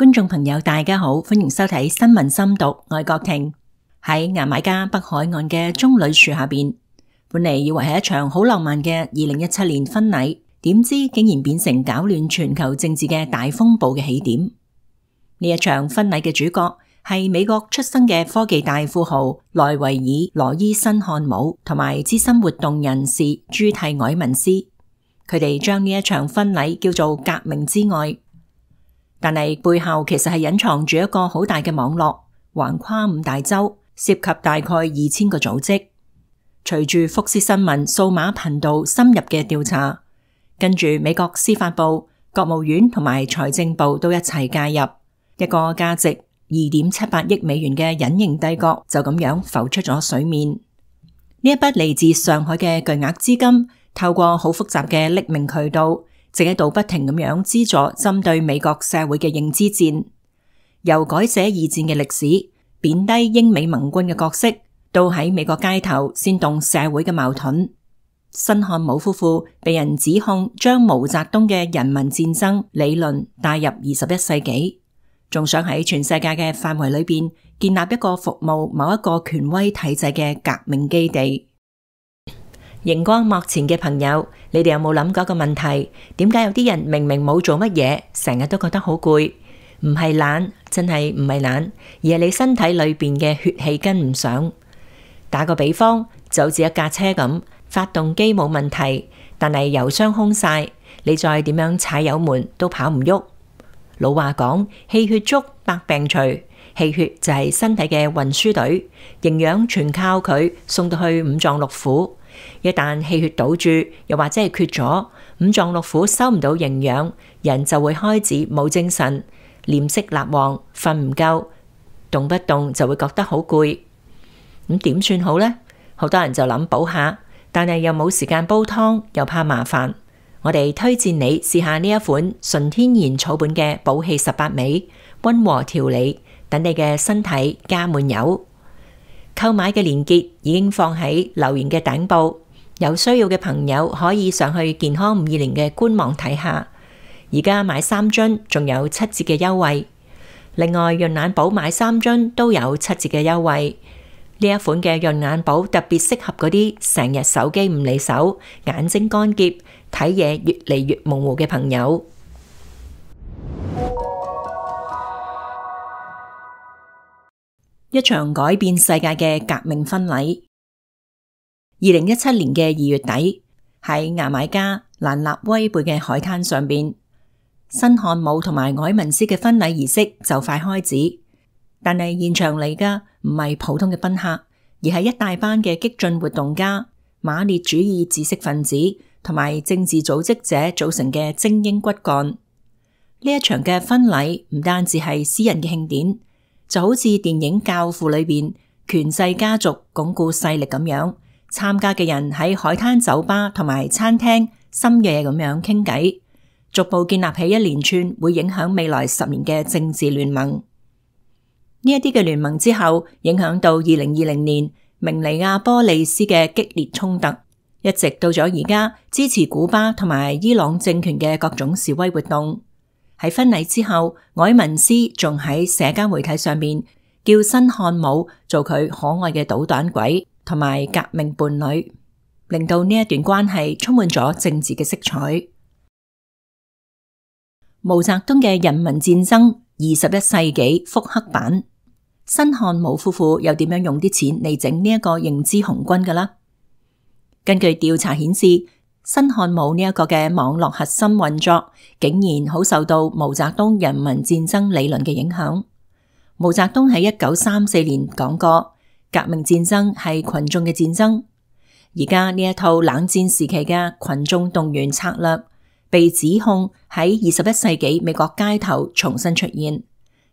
觀眾朋友大家好，歡迎收睇新聞深讀，我係郭婷。喺牙買加北海岸嘅棕櫚樹下邊，本嚟以為係一場好浪漫嘅2017年婚禮，點知竟然變成搞亂全球政治嘅大風暴嘅起點。呢一場婚禮嘅主角係美國出生嘅科技大富豪萊維爾羅伊辛漢姆同埋資深活動人士朱蒂埃文斯，佢哋將呢一場婚禮叫做革命之愛。但係背後其實係隱藏住一個好大嘅網絡，橫跨5大洲，涉及大概2000個組織。隨住福斯新聞數碼頻道深入嘅調查，跟住美國司法部、國務院同埋財政部都一齊介入，一個價值2.78億美元嘅隱形帝國就咁樣浮出咗水面。呢一筆嚟自上海嘅巨額資金，透過好複雜嘅匿名渠道，正喺度不停咁樣資助針對美國社會嘅認知戰，由改寫二戰嘅歷史、貶低英美盟軍嘅角色，到喺美國街頭煽動社會嘅矛盾。辛漢姆夫婦被人指控將毛澤東嘅人民戰爭理論帶入21世紀，仲想喺全世界嘅範圍裏邊建立一個服務某一個權威體制嘅革命基地。熒光幕前嘅朋友，你哋有冇諗過一個問題？點解有啲人明明冇做乜嘢，成日都覺得好攰？唔係懶，真係唔係懶，而係你身體裏邊嘅血氣跟唔上。打個比方，就好似一架車咁，發動機冇問題，但係油箱空晒，你再點樣踩油門都跑唔喐。老話講，氣血足，百病除。氣血就係身體嘅運輸隊，營養全靠佢送到去五臟六腑。一旦氣血堵住，又或者係缺咗，五臟六腑收唔到營養，人就會開始冇精神，臉色蠟黃，瞓唔夠，動不動就會覺得好攰。咁點算好呢？好多人就諗補下，但係又冇時間煲湯，又怕麻煩。我哋推薦你試下呢一款純天然草本嘅補氣18味，溫和調理，等你嘅身體加滿油。購買嘅鏈接已經放喺留言嘅頂部，有需要嘅朋友可以上去健康520嘅官網睇下。而家買3樽仲有7折嘅優惠，另外潤眼寶買3樽都有7折嘅優惠。呢一款嘅潤眼寶特別適合嗰啲成日手機唔離手、眼睛乾澀、睇嘢越嚟越模糊嘅朋友。一場改變世界嘅革命婚禮。2017年嘅2月底，喺牙買加蘭納威貝嘅海灘上邊，辛漢姆同埋埃文斯嘅婚禮儀式就快開始。但係現場嚟嘅唔係普通嘅賓客，而係一大班嘅激進活動家、馬列主義知識分子同埋政治組織者組成嘅精英骨幹。呢一場嘅婚禮唔單止係私人嘅慶典，就好似電影《教父》裏邊權勢家族鞏固勢力咁樣，參加嘅人喺海灘酒吧同埋餐廳深夜咁樣傾偈，逐步建立起一連串會影響未來10年嘅政治聯盟。呢一啲嘅聯盟之後，影響到2020年明尼亞波利斯嘅激烈衝突，一直到咗而家支持古巴同埋伊朗政權嘅各種示威活動。喺婚禮之後，埃文斯仲喺社交媒體上面叫辛漢姆做佢可愛嘅搗蛋鬼同埋革命伴侶，令到呢一段關係充滿咗政治嘅色彩。毛澤東嘅人民戰爭21世紀復刻版，辛漢姆夫婦又點樣用啲錢嚟整呢一個認知紅軍㗎啦？根據調查顯示，辛漢姆呢一個嘅網絡核心運作，竟然好受到毛澤東人民戰爭理論嘅影響。毛澤東喺1934年講過，革命戰爭係群眾嘅戰爭。而家呢一套冷戰時期嘅群眾動員策略，被指控喺21世紀美國街頭重新出現，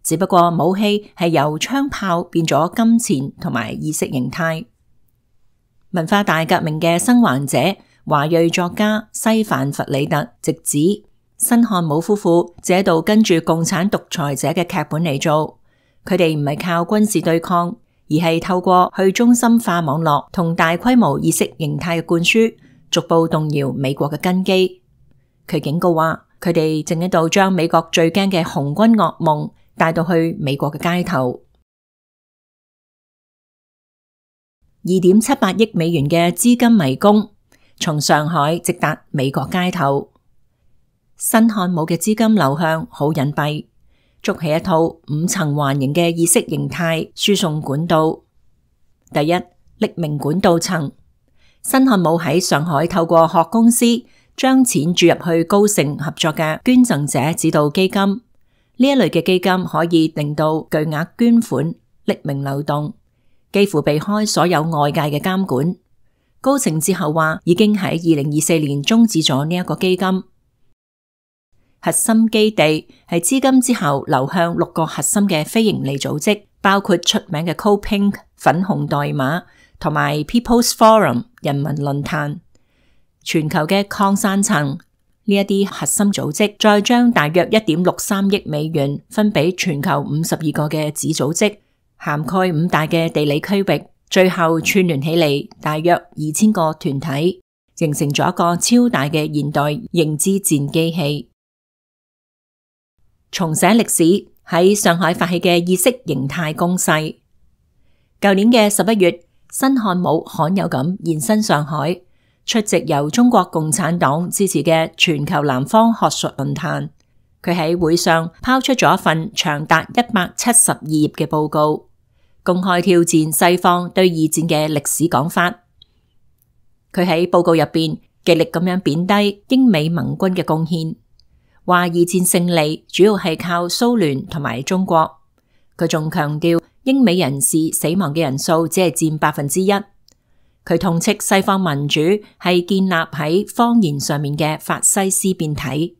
只不過武器係由槍炮變咗金錢同埋意識形態。文化大革命嘅生還者華裔作家西范弗里特直指，辛漢姆夫婦只喺度跟住共產獨裁者嘅劇本嚟做，佢哋唔係靠軍事對抗，而係透過去中心化網絡同大規模意識形態嘅灌輸，逐步動搖美國嘅根基。佢警告話，佢哋正喺度將美國最驚嘅紅軍噩夢帶到去美國嘅街頭。2.78億美元嘅資金迷宮，從上海直達美國街頭。新漢姆嘅資金流向好隱蔽，築起一套5層環形嘅意識形態輸送管道。第一，匿名管道層，新漢姆喺上海透過殼公司將錢注入去高盛合作嘅捐贈者指導基金，呢一類嘅基金可以令到巨額捐款匿名流動，幾乎避開所有外界嘅監管。高盛之後話已經喺2024年終止咗呢一個基金。核心基地係資金之後流向6個核心嘅非營利組織，包括出名嘅 CoPink 粉紅代碼同埋 People's Forum 人民論壇。全球嘅擴散層，呢一啲核心組織再將大約1.63億美元分俾全球52個嘅子組織，涵蓋5大嘅地理區域，最後串聯起嚟大約2000個團體，形成咗一個超大嘅現代認知戰機器。重寫歷史，喺上海發起嘅意識形態攻勢。舊年嘅11月，新漢姆罕有咁現身上海，出席由中國共產黨支持嘅全球南方學術論壇。佢喺會上拋出咗一份長達172頁嘅報告，公開挑戰西方對二戰嘅歷史講法。佢喺報告入邊極力咁樣貶低英美盟軍嘅貢獻，話二戰勝利主要係靠蘇聯同埋中國。佢仲強調英美人士死亡嘅人數只係佔1%。佢痛斥西方民主係建立喺謊言上面嘅法西斯變體，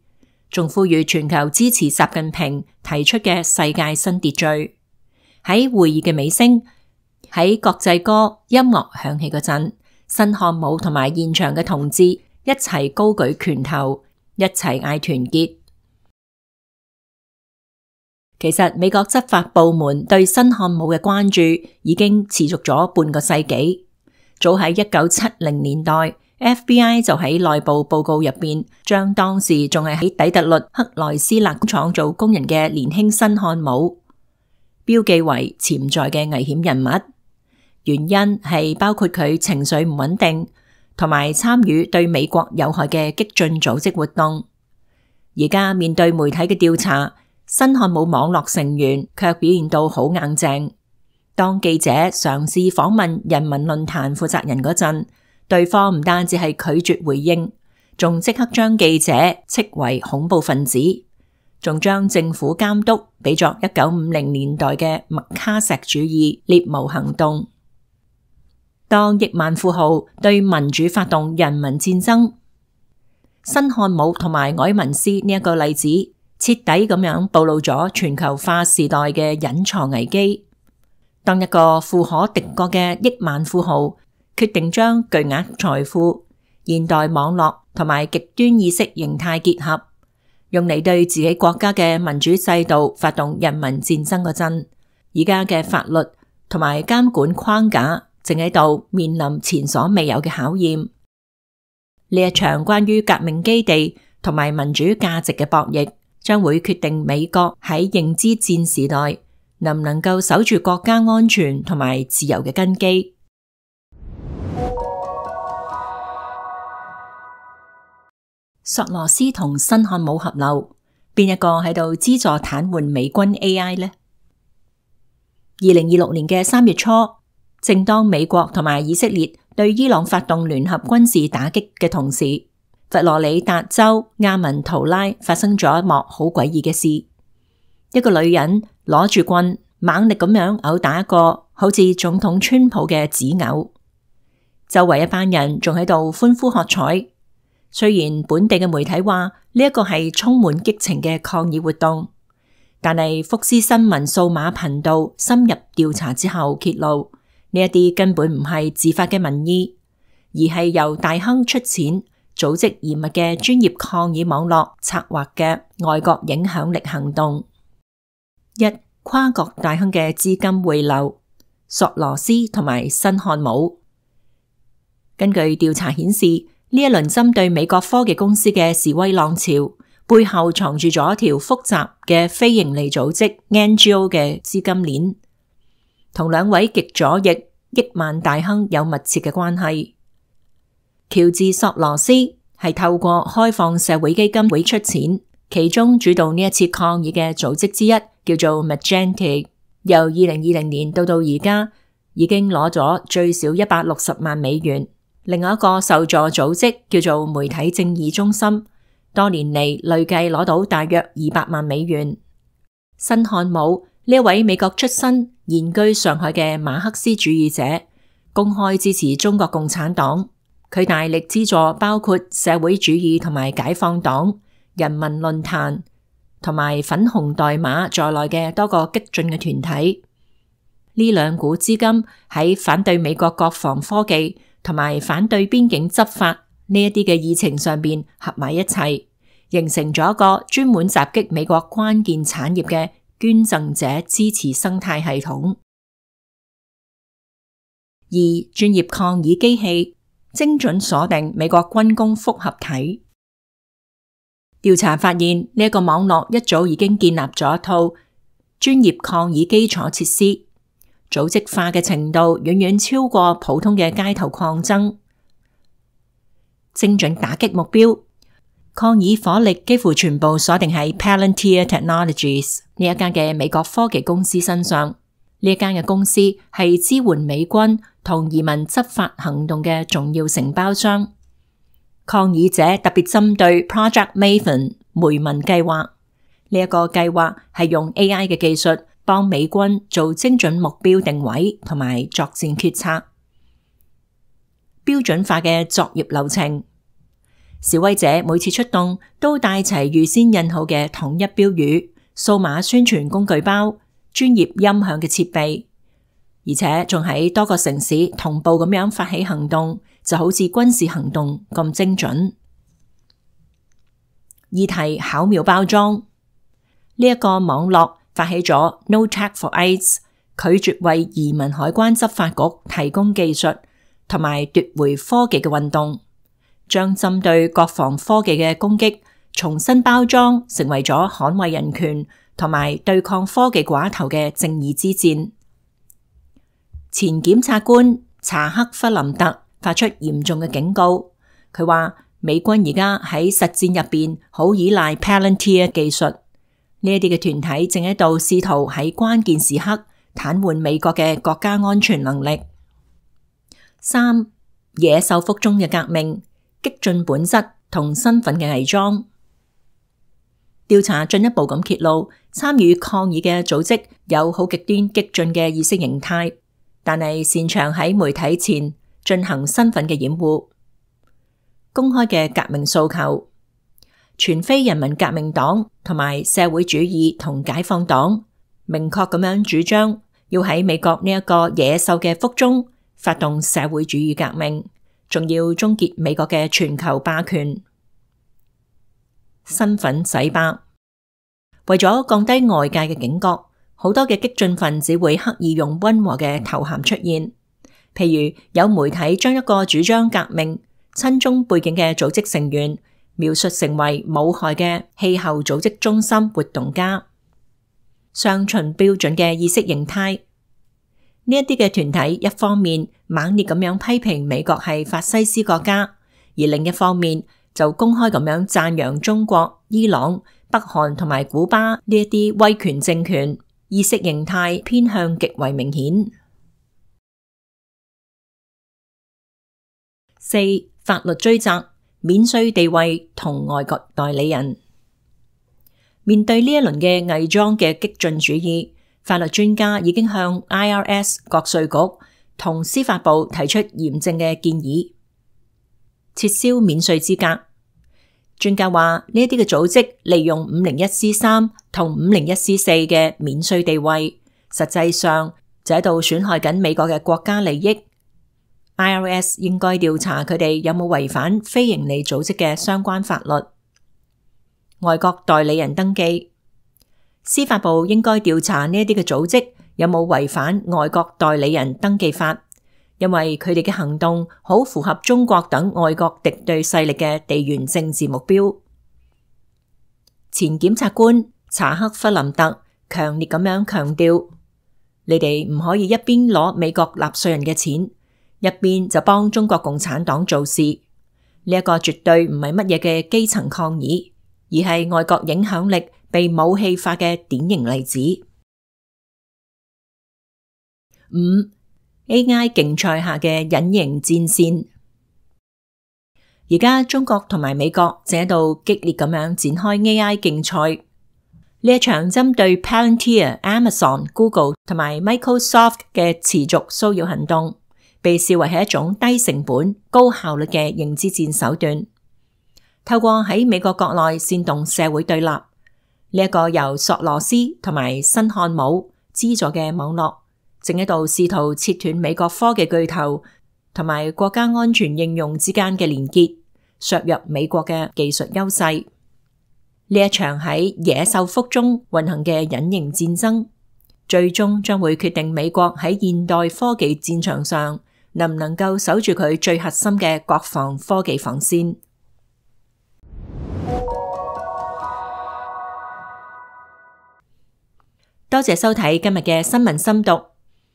仲呼籲全球支持習近平提出嘅世界新秩序。喺會議嘅尾聲，喺國際歌音樂響起嗰陣，新漢姆同埋現場嘅同志一齊高舉拳頭，一齊嗌團結。其實美國執法部門對新漢姆嘅關注已經持續咗半個世紀。早喺1970年代 ，FBI 就喺內部報告入邊，將當時仲係喺底特律克萊斯勒廠做工人嘅年輕新漢姆標記為潛在嘅危險人物。原因係包括佢情緒唔穩定，同埋參與對美國有害嘅激進組織活動。而家面對媒體嘅調查，新漢姆網絡成員卻表現到好硬淨。當記者嘗試訪問人民論壇負責人嗰陣，對方唔單止係拒絕回應，仲即刻將記者斥為恐怖分子，仲將政府監督比作1950年代嘅麥卡錫主義獵巫行動。當億萬富豪對民主發動人民戰爭，新漢姆同埋凱文斯呢一個例子，徹底咁樣暴露咗全球化時代嘅隱藏危機。當一個富可敵國嘅億萬富豪決定將巨額財富、現代網絡同埋極端意識形態結合，用嚟對自己國家嘅民主制度發動人民戰爭嗰陣，而家嘅法律同埋監管框架正喺度面臨前所未有嘅考驗。呢一場關於革命基地同埋民主價值嘅博弈，將會決定美國喺認知戰時代能唔能夠守住國家安全同埋自由嘅根基。索羅斯同新漢姆合流，邊一個喺度資助癱瘓美軍 AI 呢？2026年嘅3月初，正當美國同埋以色列對伊朗發動聯合軍事打擊嘅同時，佛羅里達州亞文圖拉發生咗一幕好詭異嘅事。一個女人攞住棍，猛力咁樣毆打一個好似總統川普嘅紙偶，周圍一班人仲喺度歡呼喝彩。雖然本地嘅媒體話呢一個係充滿激情嘅抗議活動，但係福斯新聞數碼頻道深入調查之後揭露，呢一啲根本唔係自發嘅民意，而係由大亨出錢組織嚴密嘅專業抗議網絡策劃嘅外國影響力行動。一、跨國大亨嘅資金匯流，索羅斯同埋新漢姆。根據調查顯示，呢一輪針對美國科技公司嘅示威浪潮，背後藏住咗一條複雜嘅非營利組織 NGO 嘅資金鏈，同兩位極左翼億萬大亨有密切嘅關係。喬治索羅斯係透過開放社會基金會出錢，其中主導呢一次抗議嘅組織之一叫做 Magente， 由2020年到而家已經攞咗最少160萬美元。另外一個受助組織叫做媒體正義中心，多年嚟累計攞到大約200萬美元。辛漢姆呢一位美國出身、現居上海嘅馬克思主義者，公開支持中國共產黨。佢大力資助包括社會主義同埋解放黨、人民論壇同埋粉紅代碼在內嘅多個激進嘅團體。呢兩股資金喺反對美國國防科技同埋反對邊境執法呢一啲嘅議程上邊合埋一齊，形成咗一個專門襲擊美國關鍵產業嘅捐贈者支持生態系統。二、專業抗議機器精準鎖定美國軍工複合體。調查發現呢一個網絡一早已經建立咗一套專業抗議基礎設施，組織化嘅程度遠遠超過普通嘅街頭抗爭，精準打擊目標。抗議火力幾乎全部鎖定喺 Palantir Technologies 呢一間嘅美國科技公司身上。呢一間嘅公司係支援美軍同移民執法行動嘅重要承包商。抗議者特別針對 Project Maven 梅文計劃，呢一個計劃係用 AI 嘅技術幫美軍做精準目標定位同埋作戰決策，標準化嘅作業流程。示威者每次出動都帶齊預先印好嘅統一標語、數碼宣傳工具包、專業音響嘅設備，而且仲喺多個城市同步咁樣發起行動，就好似軍事行動咁精準。議題巧妙包裝，呢一個網絡發起咗 No Tech for ICE， 拒絕為移民海關執法局提供技術同埋奪回科技嘅運動，將針對國防科技嘅攻擊重新包裝成為咗捍衛人權同埋對抗科技寡頭嘅正義之戰。前檢察官查克弗林特發出嚴重嘅警告，佢話美軍而家喺實戰入邊好依賴 Palantir 技術，呢一啲嘅團體正喺度試圖喺關鍵時刻癱瘓美國嘅國家安全能力。三、野獸腹中嘅革命，激進本質同身份嘅偽裝。調查進一步咁揭露，參與抗議嘅組織有好極端激進嘅意識形態，但係擅長喺媒體前進行身份嘅掩護。公開嘅革命訴求，全非人民革命黨同埋社會主義同解放黨明確咁樣主張要喺美國呢一個野獸嘅腹中發動社會主義革命，仲要終結美國嘅全球霸權。身份洗白，為咗降低外界嘅警覺，好多嘅激進分子會刻意用溫和嘅頭銜出現，譬如有媒體將一個主張革命、親中背景嘅組織成員描述成為無害嘅氣候組織中心活動家，上循標準嘅意識形態。呢一啲嘅團體一方面猛烈咁樣批評美國係法西斯國家，而另一方面就公開咁樣讚揚中國、伊朗、北韓同埋古巴呢一啲威權政權，意識形態偏向極為明顯。四、法律追責，免稅地位同外國代理人。面對呢一輪嘅偽裝嘅激進主義，法律專家已經向 IRS 國稅局同司法部提出嚴正嘅建議，撤銷免稅資格。專家話呢一啲嘅組織利用 501C3 同 501C4 嘅免稅地位，實際上就喺度損害緊美國嘅國家利益。IRS 應該調查佢哋有冇違反非營利組織嘅相關法律。外國代理人登記，司法部應該調查呢一啲嘅組織有冇違反外國代理人登記法，因為佢哋嘅行動好符合中國等外國敵對勢力嘅地緣政治目標。前檢察官查克弗林特強烈咁樣強調，你哋唔可以一邊攞美國納稅人嘅錢，一邊就幫中國共產黨做事。呢一個絕對唔係乜嘢嘅基層抗議，而係外國影響力被武器化嘅典型例子。5. AI 競賽下嘅隱形戰線。而家中國同埋美國正喺度激烈咁樣展開 AI 競賽。呢一場針對 Palantir、Amazon、Google 同埋 Microsoft 嘅持續騷擾行動，被視為係一種低成本、高效率嘅認知戰手段。透過喺美國國內煽動社會對立，呢一個由索羅斯同埋辛漢姆資助嘅網絡，正喺度試圖切斷美國科技巨頭同埋國家安全應用之間嘅連結，削弱美國嘅技術優勢。呢一場喺野獸腹中運行嘅隱形戰爭，最終將會決定美國喺現代科技戰場上能唔能夠守住佢最核心嘅國防科技防線。多謝收睇今日嘅新聞深讀，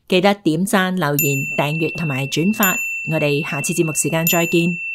記得點讚、留言、訂閱同埋轉發。我哋下次節目時間再見。